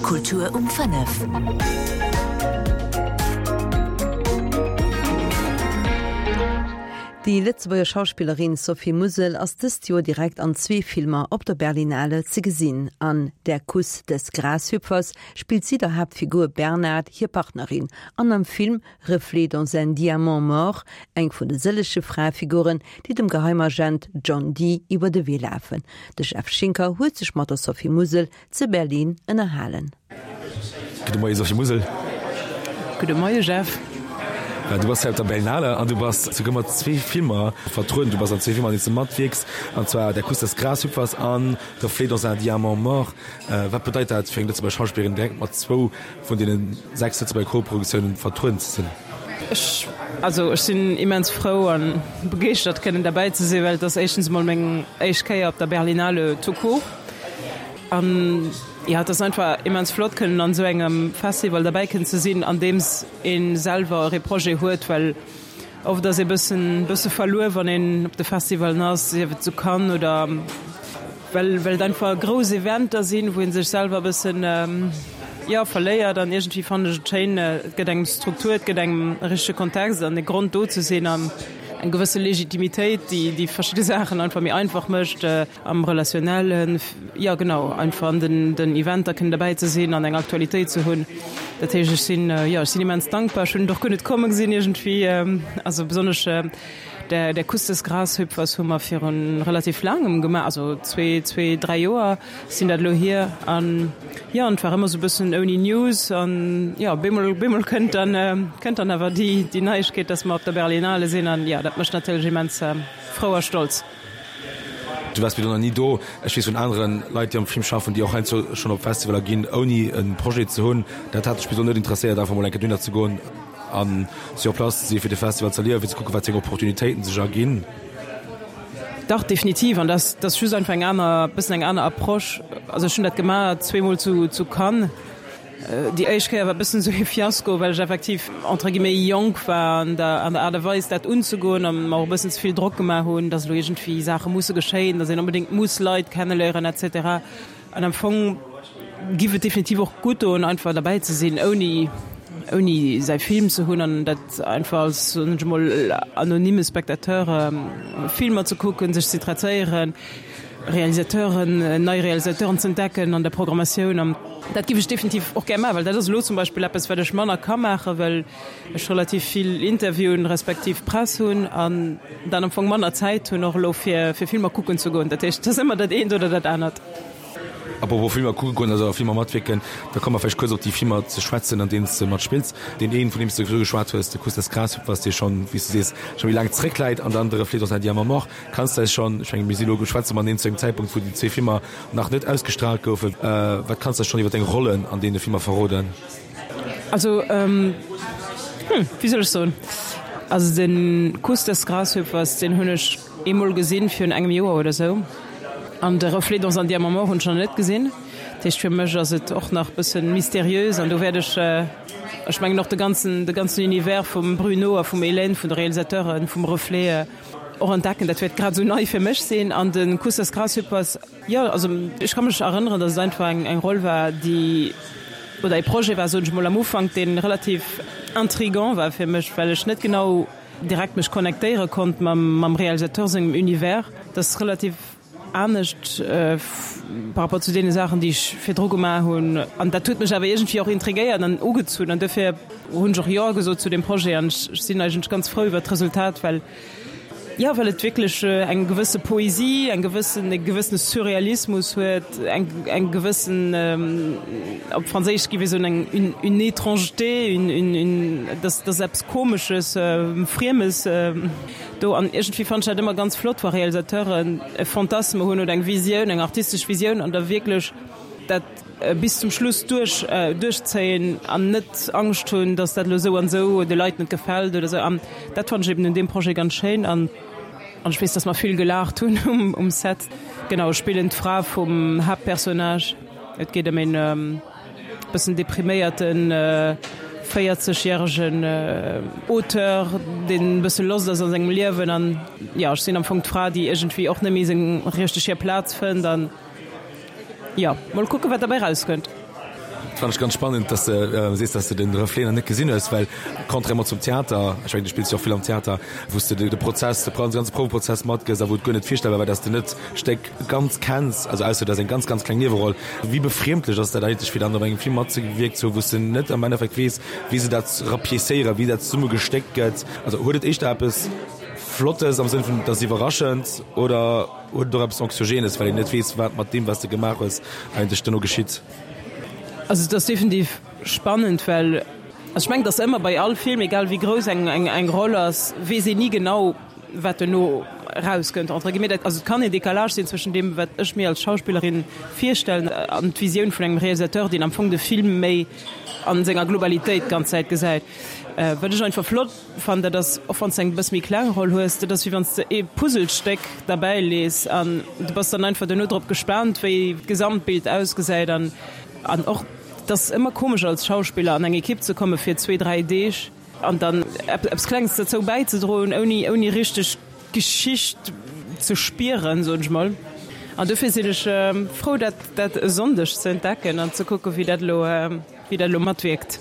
Kultur um 5. Déi Lëtzebuerger Schauspillerin Sophie Musel ass dëst Joer direkt an zwee Filmer op der Berlinale ze gesinn. An Der Kuss des Grashüpfers spillt si der Haaptfigur Bernard hir Partnerin an am Film Reflets dans un diamant mort eng vun de sëllege Fraefiguren, déi dem Geheimagent John Dee iwwer de Wee lafen. De Jeff Schinker huet sech mat der Sophie Musel ze Berlin ënnerhalen. Gudde Moie Sophie Musel. Gudde Moie Jeff. Du bass hei op der Berlinale an du bass souguer mat zwee Filmer vertrueden. Du bass an zwee Filmer, an deenen s de matwierks, an zwar Der Kuss des Grashüpfers an Reflets dans un diamant mort. Wat bedeit dat fir eng Lëtzebuerger Schauspillerin, direkt mat zwou vun deene 6 Lëtzebuerger Koproduktiounen vertrueden ze sinn? Ech, also ech sinn immens frou a begeeschtert kënnen derbäi ze sinn, well et ass éischtens emol meng éischt Kéier op der Berlinale tout court. An jo, et ass einfach immens flott kënnen an esou engem Festival derbäi kënnen ze sinn, andeems ee selwer och ee Projet huet, well oft ass ee bëssen bësse verluer, wann een op de Festivalen ass, sief et zu Cannes oder well well et einfach grouss Eventer sinn, wou ee sech selwer e bëssen jo verléiert. An iergendwéi fannen ech et schéin, et gëtt engem Struktur, et gëtt engem e richtege Kontext an e Grond do ze sinn an eng gewësse Legitimitéit, déi déi verschidde Saachen einfach méi einfach mécht. Am Relationnellen, jo genau, einfach an den den Eventer kënnen derbäi ze sinn an eng Aktualitéit ze hunn. Dat heescht, ech sinn, jo, ech sinn immens dankbar. Ech hunn et och guer net komme gesinn iergendwéi. Also besonnesch der der Kuss des Grashüpfers hu mer virun relativ laangem gemaach, also zwee, zwee, dräi Joer sinn dat elo hier. An jo, an et war ëmmer esou e bëssen ouni News an jo, bemol, bemol kënnt dann, kënnt dann awer déi déi Neiegkeet, dass mer op der Berlinale sinn an jo, dat mécht natierlech immens frou a stolz. Du waars bis elo nach ni do. Ech weess vun anere Leit, déi am Film schaffen, déi och heiansdo schonn op Festivaler ginn, ouni e Projet ze hunn. Dat hat dech bis elo net interesséiert, einfach mol eng Kéier dohinner ze goen a sur place ze sinn, fir de Festival ze erliewen, fir ze kucken, wat fir eng Opportunitéiten sech erginn? Dach, definitiv. An dat ass just einfach eng aner, bëssen eng aner Approche. Also ech hunn dat gemaach zweemol zu Cannes. Déi éischt Kéier war e bëssen esou ee Fiasko, well ech effektiv entre guillemets jonk war an der an der Aart a Weis dat unzegoen an mer och e bëssen ze vill Drock gemaach hunn, dass elo iergendwéi Saache musse geschéien, dass een onbedéngt muss Leit kenneléieren et cetera. An am Fong giff et definitiv och gutt doen, einfach derbäi ze sinn, ouni ouni säi Film ze hunn an dat einfach als, soen ech emol, anonyme Spectateur Filmer ze kucken, sech z'interesséieren. Realisateuren, nei Realisateuren ze entdecken an der Programmatioun an dat giff ech definitiv och gär maachen, well dat ass elo zum Beispill eppes wat ech manner ka maachen, well ech relativ vill Interviewen respektiv Press hunn an dann am Fong manner Zäit hunn och elo fir fir Filmer kucken ze goen. Dat heescht, et ass ëmmer dat eent oder dat anert. Apropos Filmer kucke goen, also a Filmer matwierken, da komme mer vläicht kuerz op déi Filmer ze schwätzen, an deenen s de matspills. Deen een, vun deem s de virdru geschwat hues, de Kuss des Grashüpfers, dee schonn, wéi s du sees, scho méi laang zeréckläit, an dann de Reflet dans un diamant mort. Kanns de eis schonn, ech mengen mir si elo, schwätze mateneen zu engem Zäitpunkt wou déi zwee Filmer nach net ausgestraalt goufen, wat kanns de eis schonn iwwer deng Rollen an deene Filmer verroden? Also, hm, wéi soll ech soen, also de Kuss des Grashüpfers, deen hunn ech eemol gesinn virun engem Joer oder esou, an de Reflet dans un diamant mort hunn ech nach net gesinn. Dat heescht fir mech ass et och nach bëssen mysteriös an do wäert ech, ech mengen och de ganzen, de ganzen Univers vum Bruno a vum Hélène, vun de Realisateuren vum Reflet, Och entdecken, dat wäert grad esou nei fir mech sinn. An de Kuss des Grasshoppers, jo, also ech ka mech erënneren, datt et einfach eng eng Roll war, déi, oder ee Projet war, soen ech emol, am Ufank, dee relativ intrigant war fir mech, well ech net genau direkt mech connectéiere konnt mam mam Realisateur sengem Univers. Dat ass relativ anescht par rapport zu deene Saachen, déi ech virdru gemaach hunn. An dat huet mech awer iergendwéi och intrigéiert an ugezunn. An dofir hunn ech och Jo gesot zu deem Projet. An ech sinn eigentlech ganz frou iwwert d'Resultat, well, jo, well et wierklech eng gewësse Poesie, eng gewëssen, e gewëssene Surrealismus huet, eng, eng gewëssen, op Franséisch géif ee soen, eng, une, une étrangeté, une, une, une, dass, dass eppes Komesches, Friemes. Do an iergendwéi fannen ech dat ëmmer ganz flott, wa Realisateuren e Fantasme hunn oder eng Visioun, eng artistesch Visioun an da wierklech dat bis zum Schluss duerch duerchzéien an net Angscht hunn, datt dat elo esou an esou de Leit net gefält oder esou. An dat fannen ech eben un deem Projet ganz schéin an an ech weess, datt mer vill gelaacht hunn um um Set. Genau, ech spillen d'Fra vum Haaptpersonnage. Et geet ëm een. Bëssen depriméierten 40 järegen Auteur, deen e bësse lost ass a sengem Liewen an jo, ech sinn am Fong d'Fra, déi iergendwéi och net méi seng richteg hir Plaz fënnt an jo, mol kucken, wat derbäi rauskënnt. Fannen ech ganz spannend, dass de sees, dass de den Reflet nach net gesinn hues, well contrairement zum Theater, ech mengen du spills jo och vill am Theater, wou s de de Prozess, de ganze Prouweprozess matgëss a wou et guer net virstellbar war, dass de net d'Stéck ganz kenns, also ausser du has eng ganz, ganz kleng Nieweroll. Wéi befriemdlech ass dat eigentlech fir dann op engem Film matzewierkt ze hunn, wou s de net am Endeffekt weess, wéi se dat rapiécéieren, wéi dat zesumme gestéckt gëtt? Also huet et éischter eppes Flottes am Sënn vun et ass iwwerraschend oder huet et och eppes Anxiogènes, well een net weess, wat mat deem, wat s de gemaach hues, eigentlech duerno geschitt? Also et ass definitiv spannend, well also ech mengen, et ass ëmmer bei all Film, egal wéi grouss eng eng Roll ass, weess een ni genau, wat duerno erauskënnt entre guillemets. Dat also et kann een Décalage sinn zwëschen deem, wat ech mir als Schauspillerin virstellen an d'Visioun vun engem Realisateur, deen am Fong de Film méi a senger Globalitéit d'ganz Zäit gesäit. Wat ech einfach flott fannen, dat ass, och wann s de eng bësse méi kleng Roll hues, dat ass wéi wann s de ee Puzzlestéck derbäi lees an du bass dann einfach duerno drop gespaant, wéi d'Gesamtbild ausgesäit an an och, et ass ëmmer komesch als Schauspiller an eng Ekipp ze komme fir zwee, dräi Deeg an dann eppes Klenges derzou bäizedroen, ouni ouni richteg d'Geschicht ze spieren, soen ech mol. An dofir sinn ech frou, dat dat e Sonndeg ze entdecken an ze kucken, wéi dat elo wéi dat elo matwierkt.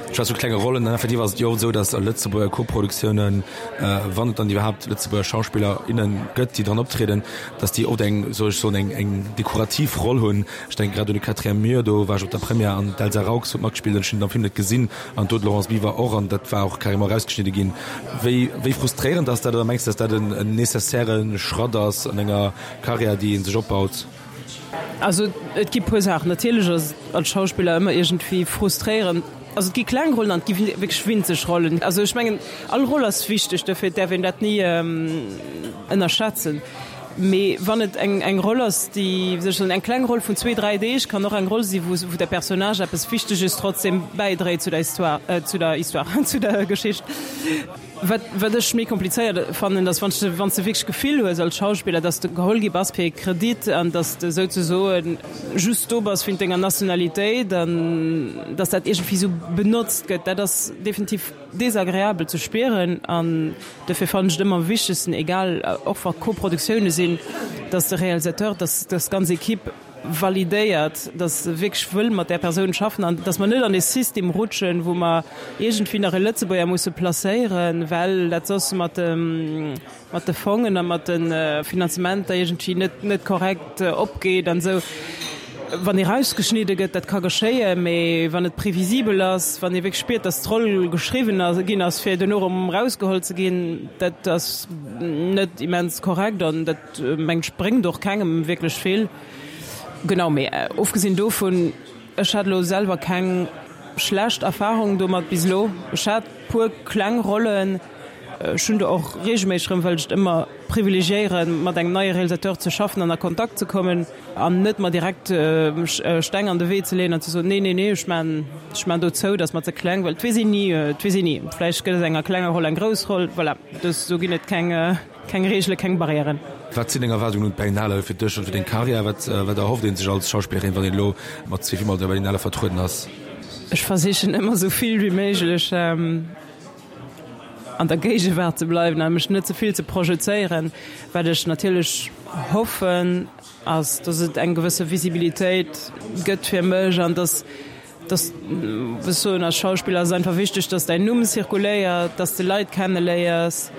Ech weess vu klenge Rollen, an effektiv ass et jo oft esou, datt a Lëtzebuerger Koproduktiounen, wann et dann iwwerhaapt Lëtzebuerger Schauspiller, innen gëtt, déi dran optrieden, datt déi oft eng, soll ech soen, eng eng dekorativ Roll hunn. Ech denke grad un de Quatrième Mur, do war ech op der Première an d'Elsa Raux huet matgespillt an ech hunn den am Film net gesinn an do d'Laurence Biver och an dat war och carrément erausgeschnidde ginn. Wéi wéi frustréierend ass dat oder mengs de, datt dat en en nécessaire Schratt ass an enger Karriär, déi ee sech opbaut? Also et gi puer Saachen. Natierlech ass et als Schauspiller ëmmer iergendwéi frustréierend. Also et gi kleng Rollen an et gi wierklech winzeg Rollen. Also ech mengen, all Roll ass wichteg, dofir däerf een dat ni ënnerschätzen. Mee wann et eng eng Roll ass, déi, wéi soll ech soen, eng kleng Roll vun zwee, dräi Deeg kann och eng Roll si wou wou de Personnage eppes Wichteges trotzdem bäidréit zu der Histoire, zu der Histoire, zu der Geschicht. Wat, wat ech méi komplizéiert fannen, ass, wann s de, wann s de wierklech d'Gefill hues als Schauspiller, dass de geholl gi bass fir ee Kredit an dass de souzesoe just do bass wéint denger Nationalitéit an dass dat iergendwéi esou benotzt gëtt, dat ass definitiv desagreabel ze spieren. An dofir fannen ech et ëmmer am wichtegsten, egal och wa Koproduktioune sinn, dass de Realisateur, dass, dass d'ganz Equipe, validéiert, dass se wierklech wëll mat där Persoun schaffen an dass mer net an e System rutschen, wou mer iergendwéi nach e Lëtzebuerger musse placéieren, well dat soss mat de, mat de Fongen a mat de Finanzementer iergendwéi net, net korrekt opgeet an esou. Wann ee rausgeschnidde gëtt, dat ka geschéien, mee wann et previsibel ass, wann ee wierklech spiert, dass d'Roll geschriwwen ginn ass, fir duerno erëm erausgeholl ze ginn, dat ass net immens korrekt an dat, Mengt ech bréngt och kengem wierklech vill. Genau, mee ofgesinn dovun, ech hat elo selwer keng schlecht Erfahrung domat bis elo. Ech hat puer kleng Rollen, ech hunn der och regelméisseg erëm, well ech et ëmmer privilegiéieren, mat engem neie Realisateur ze schaffen an a Kontakt ze kommen an net mer direkt Steng an de Wee ze leeën an ze soen, nee, nee, nee, ech maan, ech maan do zou, dat ass mer ze kleng, well et weess een ni, et weess een ni, vläicht gëtt aus enger klenger Roll eng grouss Roll, voilà, do ginn et keng. Keng Reegelen, keng Barrièren. Wat sinn deng Erwaardungen un d'Berlinale fir dech an fir deng Karriär? Wat wat erhofft ee sech als Schauspillerin, wann een elo mat zwee Filmer op der Berlinale vertrueden ass? Ech versichen ëmmer esou vill wéi méiglech an der Géigewaart ze bleiwen a mech net ze vill ze projezéieren. Wat ech natierlech hoffen, ass, dass et eng gewësse Visibilitéit gëtt fir mech an dass Dass, ech soen, als Schauspiller ass et einfach wichteg, dass däin Numm zirkuléiert, dass de Leit kenneléiers,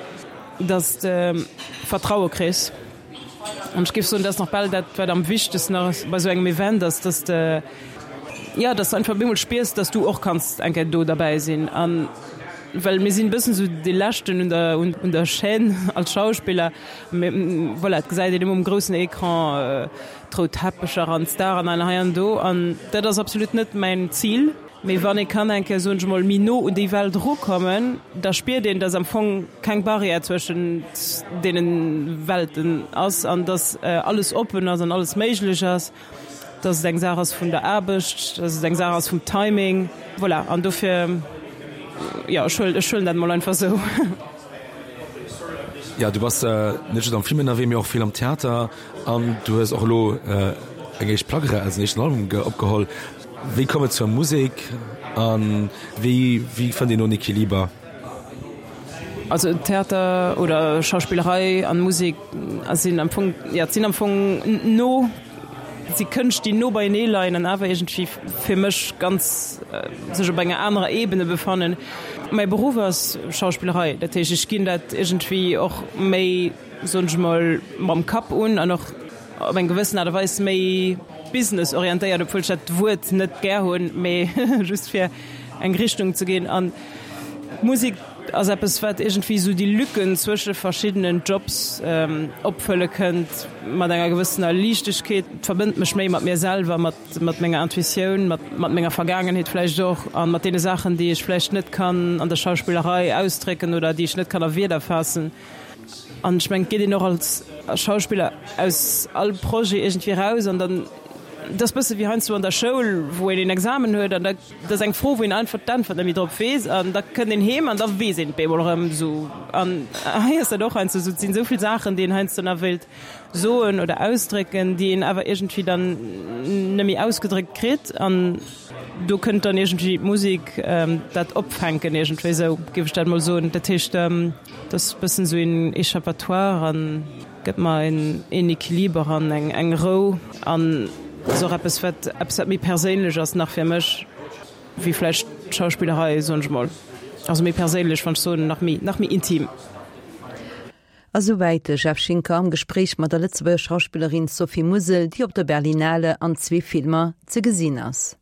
dass de Vertraue kriss. An ech géif soen, dat ass nach bal dat, wat am wichtegsten ass bei esou engem Event, ass, dass de, jo, dass de einfach op eemol spiers, dass du och kanns eng Kéier do derbäi sinn. An well mir sinn e bëssen esou dee Leschten un der, un der Chaîne als Schauspiller. Mee voilà, et gesäit een ëmmer um groussen Ecran, D'rout Teppecher an d'Staren an hei an do an dat ass absolut net mäin Zil. Mee wann ee kann eng Kéier, soen ech emol, méi no un déi Welt erukommen, da spiert een, dass am Fong keng Barrière zwëschent deene Welten ass an dass alles oppen ass an alles méiglech ass, dass et eng Saach ass vun der Aarbecht, dass et eng Saach ass vum Timing. Voilà, an dofir, jo, ech huelen, ech huelen dat emol einfach esou. Jo, du bass net just am Film ënnerwee, mee och vill am Theater. An du hues och elo eng éischt Plack eraus, en éischten Album opgeholl. Wéi koum et zur Musek a wéi wéi fënnt een do en Equiliber? Also Theater oder Schauspillerei an Musek sinn am Fong, jo, et sinn am Fong no. si Kënscht, déi no beienee leien an awer iergendwéi fir mech ganz sech op enger anerer Ebene befannen. Mäi Beruff ass Schauspillerei, dat heescht, ech ginn dat iergendwéi och méi, soen ech emol, mam Kapp un an och op eng gewëssen Aart a Weis méi business-orientéiert, obwuel ech dat Wuert net gär hunn, mee just fir eng Richtung ze ginn. An d'Musek ass eppes, wat iergendwéi esou déi Lücken zwësche verschiddenen Jobs opfëlle kënnt mat enger gewëssener Liichtegkeet. Et verbënnt mech méi mat mir selwer, mat mat menger Intuitioun, mat mat menger Vergaangenheet vläicht och a mat deene Saachen, déi ech vläicht net kann an der Schauspillerei ausdrécken oder déi ech net kann a Wierder faassen. An ech mengen, et geet een och als Schauspiller aus all Projet iergendwéi eraus an dann, et ass bësse wéi heiansdo an der Schoul, wou een een Examen huet an da, dat ass eng Fro, wou een einfach d'Äntwert net méi drop weess an da kënnt een heem an da weess een et bemol erëm esou. An hei ass dat och heiansdo esou, et sinn esou vill Saachen, déi een heiansdo nach wéilt soen oder ausdrécken, déi een awer iergendwéi dann net méi ausgedréckt kritt an do kënnt dann iergendwéi d'Musek dat opfänken iergendwéi esou, géif ech dat mol soen. Dat heescht. Et ass e bëssen esou een Échappatoire an gëtt mer een Equiliber an eng Rou an ass och eppes wat eppes wat méi perséinlech ass nach fir mech wéi vläicht d'Schauspillerei, soen ech mol. Also méi perséinlech, wann ech soen nach méi nach méi intim. A souwäit de Jeff Schinker am Gespréich mat der Lëtzebuerger Schauspillerin Sophie Musel, déi op der Berlinale an zwee Filmer ze gesinn ass.